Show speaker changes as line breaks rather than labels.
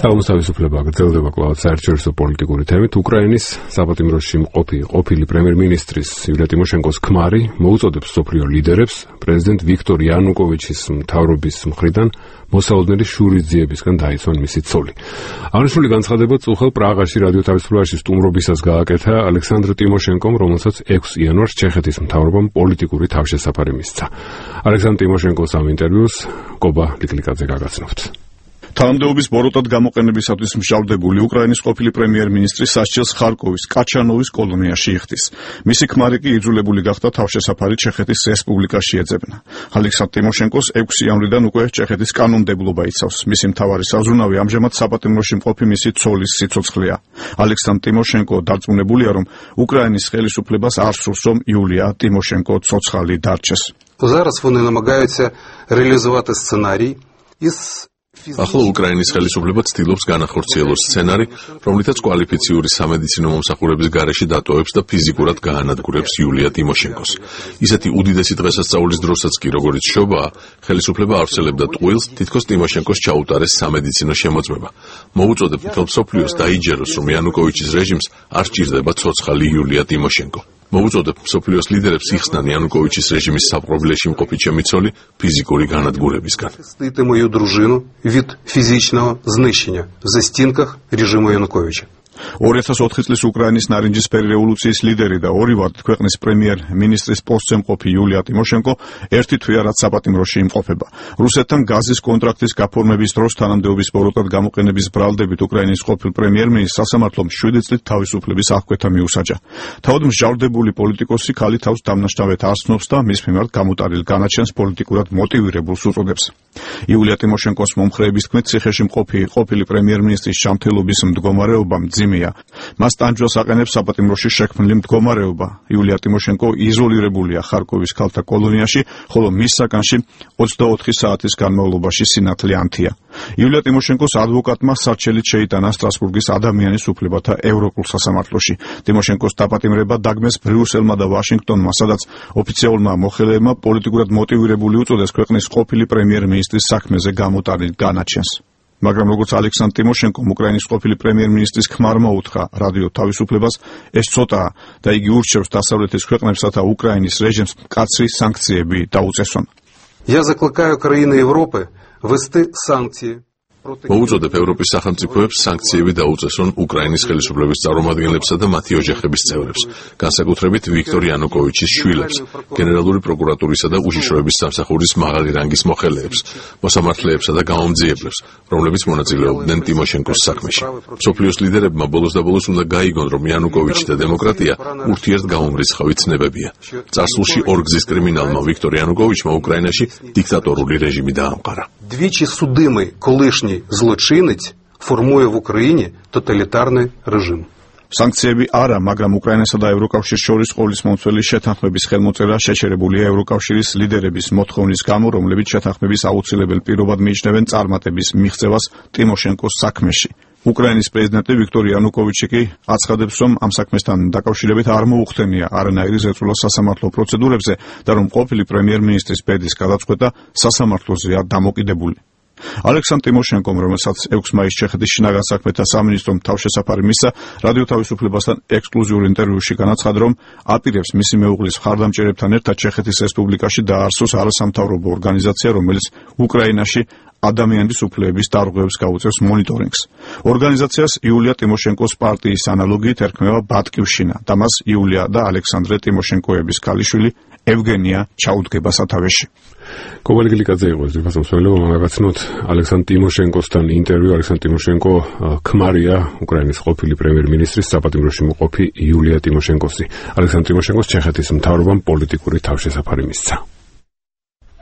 თავისუფლება გრძელდება კვლავ საერთაშორისო პოლიტიკური თემით. უკრაინის საპატიმროში ყოფილი პრემიერ-მინისტრის იულია ტიმოშენკოს ქმარი მოუწოდებს მსოფლიო ლიდერებს პრეზიდენტ ვიქტორ იანუკოვიჩის მთავრობის მხრიდან მოსაოდნელი შურისძიებისგან დაიცვან მისი ცოლი. აღნიშნული განცხადება წუხელ პრაღაში რადიო თავისუფლებაში სტუმრობისას გააკეთა ალექსანდრ ტიმოშენკომ, რომელსაც 6 იანვარს ჩეხეთის მთავრობამ პოლიტიკური თავშესაფარი მისცა. ალექსანდრ ტიმოშენკოს ამ ინტერვიუს კობა ლიკლიკაძე გაგაცნობთ.
თანამდებობის ბოროტად გამოყენებისათვის მსჯავრდებული უკრაინის ყოფილი პრემიერ-მინისტრი სასჯელს ხარკოვის კაჩანოვის კოლონიაში იხდის. მისი ქმარი კი იძულებული გახდა თავშესაფარი ჩეხეთის რესპუბლიკაში ეძებნა. ალექსანდრ ტიმოშენკოს 6 იანვრიდან უკვე ჩეხეთის კანონმდებლობა იცავს. მისი მთავარი საზრუნავი ამჟამად საპატიმროში მყოფი მისი ცოლის სიცოცხლეა. ალექსანდრ ტიმოშენკო დარწმუნებულია, რომ უკრაინის ხელისუფლებას არ სურს, რომ იულია ტიმოშენკო ცოცხალი დარჩეს.
Зараз вони намагаються реалізувати сценарій із
ახლა უკრაინის ხელისუფლება ცდილობს განახორციელოს სცენარი, რომლითაც კვალიფიციური სამედიცინო მომსახურების გარეშე დატოვებს და ფიზიკურად გაანადგურებს იულია ტიმოშენკოს. ისეთი უდიდესი დღესასწაულის დროსაც კი, როგორც შობაა, ხელისუფლება ავრცელებდა ტყუილს, თითქოს ტიმოშენკოს ჩაუტარეს სამედიცინო შემოწმება. მოუწოდებ მთელ მსოფლიოს დაიჯეროს, რომ იანუკოვიჩის რეჟიმს არ სჭირდება ცოცხალი იულია ტიმოშენკო. მოუწოდებ მსოფლიოს ლიდერებს იხსნან იანუკოვიჩის რეჟიმის საპყრობილეში მყოფი ჩემი ცოლი ფიზიკური განადგურებისგან.
Захистити мою дружину від фізичного знищення в застінках режиму Януковича.
2004 წლის უკრაინის ნარინჯისფერი რევოლუციის ლიდერი და ორივად ქვეყნის პრემიერ-მინისტრის პოსტზე მყოფი იულია ტიმოშენკო ერთი თვეა რაც საპატიმროში იმყოფება. რუსეთთან გაზის კონტრაქტის გაფორმების დროს თანამდებობის ბოროტად გამოყენების ბრალდებით უკრაინის ყოფილ პრემიერ-მინისტრს სასამართლომ 7 წლით თავისუფლების აღკვეთა მიუსაჯა. თავად მსჯავრდებული პოლიტიკოსი ქალი თავს დამნაშავედ არ ცნობს და მის მიმართ გამუტარილ განაჩენს პოლიტიკურად მოტივირებულს უწოდებს. იულია ტიმოშენკოს მომხრეების თქმით, ციხეში მყოფი ყოფილი პრემიერ-მინისტრის ჯანმრთელობის მდგომარეობა მას ტანჯვას აყენებს საპატიმროში შექმნილი მდგომარეობა. იულია ტიმოშენკო იზოლირებულია ხარკოვის ქალთა კოლონიაში, ხოლო მის საკანში 24 საათის განმავლობაში სინათლე ანთია. იულია ტიმოშენკოს ადვოკატმა სარჩელით შეიტანა სტრასბურგის ადამიანის უფლებათა ევროპულ სასამართლოში. ტიმოშენკოს დაპატიმრება დაგმეს ბრიუსელმა და ვაშინგტონმა, სადაც ოფიციალურმა მოხელეებმა პოლიტიკურად მოტივირებული უწოდეს ქვეყნის ყოფილი პრემიერ-მინისტრის საქმეზე გამოტანილ განაჩენს. მაგრამ როგორც ალექსანდრ ტიმოშენკომ უკრაინის ყოფილი პრემიერ-მინისტრის ქმარმა უთხრა რადიო თავისუფლებას, ეს ცოტაა და იგი ურჩევს დასავლეთის ქვეყნებსა და უკრაინის რეჟიმს მკაცრი სანქციები დაუწესონ.
Я закликаю країни Європи ввести санкції.
მოუწოდებ ევროპის სახელმწიფოებს სანქციები დაუწესონ უკრაინის ხელისუფლების წარმომადგენლებსა და მათი ოჯახების წევრებს, განსაკუთრებით ვიქტორ იანუკოვიჩის შვილებს, გენერალური პროკურატურისა და უშიშროების სამსახურის მაღალი რანგის მოხელეებს, მოსამართლეებსა და გამომძიებლებს, რომლებიც მონაწილეობდნენ ტიმოშენკოს საქმეში. მსოფლიოს ლიდერებმა ბოლოს და ბოლოს უნდა გაიგონ, რომ იანუკოვიჩი და დემოკრატია ურთიერთგამომრიცხავი ცნებებია. წარსულში ორგზის კრიმინალმა ვიქტორ იანუკოვიჩმა უკრაინაში დიქტატორული რეჟიმი დაამყარა.
Двічі судимий колишній злочинець формує в Україні тоталітарний режим.
სანქციები არა, მაგრამ უკრაინასა და ევროკავშირის შორის ყოლის მომცველი შეთანხმების ხელმოწერა შეჩერებულია ევროკავშირის ლიდერების მოთხოვნის გამო, რომლებიც შეთანხმების აუცილებელ პირობად მიიჩნევენ წარმატების მიღწევას ტიმოშენკოს საქმეში. უკრაინის პრეზიდენტი ვიქტორ იანუკოვიჩი კი აცხადებს, რომ ამ საქმესთან დაკავშირებით არ მოუხდენია არანაირი ზეწოლა სასამართლო პროცედურებზე და რომ ყოფილი პრემიერ-მინისტრის ბედის გადაწყვეტა სასამართლოზეა დამოკიდებული. ალექსანდრ ტიმოშენკომ, რომელსაც 6 მაისს ჩეხეთის შინაგან საქმეთა სამინისტრომ თავშესაფარი მისცა, რადიო თავისუფლებასთან ექსკლუზიურ ინტერვიუში განაცხადა, რომ აპირებს მისი მეუღლის მხარდამჭერებთან ერთად ჩეხეთის რესპუბლიკაში დაარსოს არასამთავრობო ორგანიზაცია, რომელიც უკრაინაში ადამიანის უფლებების დარღვევებს გაუწევს მონიტორინგს. ორგანიზაციას იულია ტიმოშენკოს პარტიის ანალოგიით ერქმევა ბატკივშინა და მას იულია და ალექსანდრე ტიმოშენკოების ქალიშვილი ევგენია ჩაუდგება სათავეში.
კობა ლიკლიკაძე იყო ეს დასამსვლელობა, მაგაცნოთ ალექსანდრ ტიმოშენკოსთან ინტერვიუ. ალექსანდრ ტიმოშენკო ქმარია უკრაინის ყოფილი პრემიერ-მინისტრის საპატიმროში მყოფი იულია ტიმოშენკოსი. ალექსანდრ ტიმოშენკოს ჩეხეთის მთავრობამ პოლიტიკური თავშესაფარი მისცა.